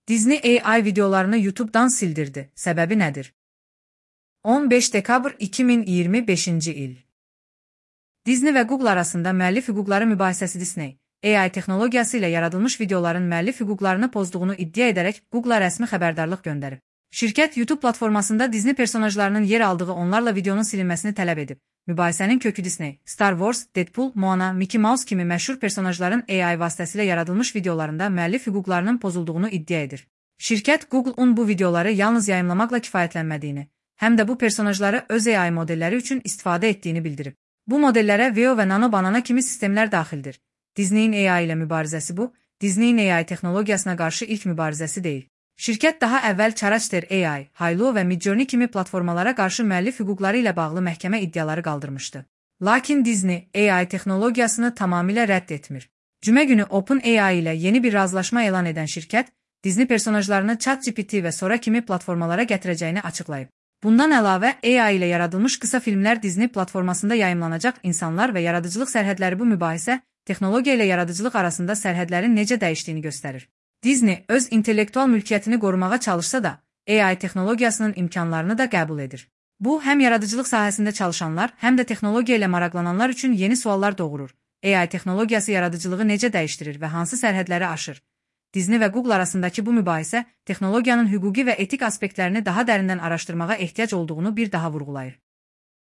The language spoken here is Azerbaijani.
Disney AI videolarını YouTube'dan sildirdi. Səbəbi nədir? 15 dekabr 2025-ci il. Disney və Google arasında müəllif hüquqları mübahisəsi. Disney AI texnologiyası ilə yaradılmış videoların müəllif hüquqlarını pozduğunu iddia edərək Google-a rəsmi xəbərdarlıq göndərib. Şirkət YouTube platformasında Disney personajlarının yer aldığı onlarla videonun silinməsini tələb edib. Mübahisənin kökü Disney, Star Wars, Deadpool, Moana, Mickey Mouse kimi məşhur personajların AI vasitəsilə yaradılmış videolarında müəllif hüquqlarının pozulduğunu iddia edir. Şirkət Google-un bu videoları yalnız yayımlamaqla kifayətlənmədiyini, həm də bu personajları öz AI modelləri üçün istifadə etdiyini bildirib. Bu modellərə Veo və Nano Banana kimi sistemlər daxildir. Disney'in AI ilə mübarizəsi bu, Disney'in AI texnologiyasına qarşı ilk mübarizəsi deyil. Şirkət daha əvvəl Character AI, Hailuo və Midjourney kimi platformalara qarşı müəllif hüquqları ilə bağlı məhkəmə iddiaları qaldırmışdı. Lakin Disney AI texnologiyasını tamamilə rədd etmir. Cümə günü OpenAI ilə yeni bir razılaşma elan edən şirkət, Disney personajlarını ChatGPT və Sora kimi platformalara gətirəcəyini açıqlayıb. Bundan əlavə, AI ilə yaradılmış qısa filmlər Disney platformasında yayımlanacaq. İnsanlar və yaradıcılıq sərhədləri. Bu mübahisə, texnologiya ilə yaradıcılıq arasında sərhədlərin necə dəyişdiyini göstərir. Disney öz intellektual mülkiyyətini qorumağa çalışsa da, AI texnologiyasının imkanlarını da qəbul edir. Bu, həm yaradıcılıq sahəsində çalışanlar, həm də texnologiya ilə maraqlananlar üçün yeni suallar doğurur. AI texnologiyası yaradıcılığı necə dəyişdirir və hansı sərhədləri aşır? Disney və Google arasındakı bu mübahisə, texnologiyanın hüquqi və etik aspektlərini daha dərindən araşdırmağa ehtiyac olduğunu bir daha vurğulayır.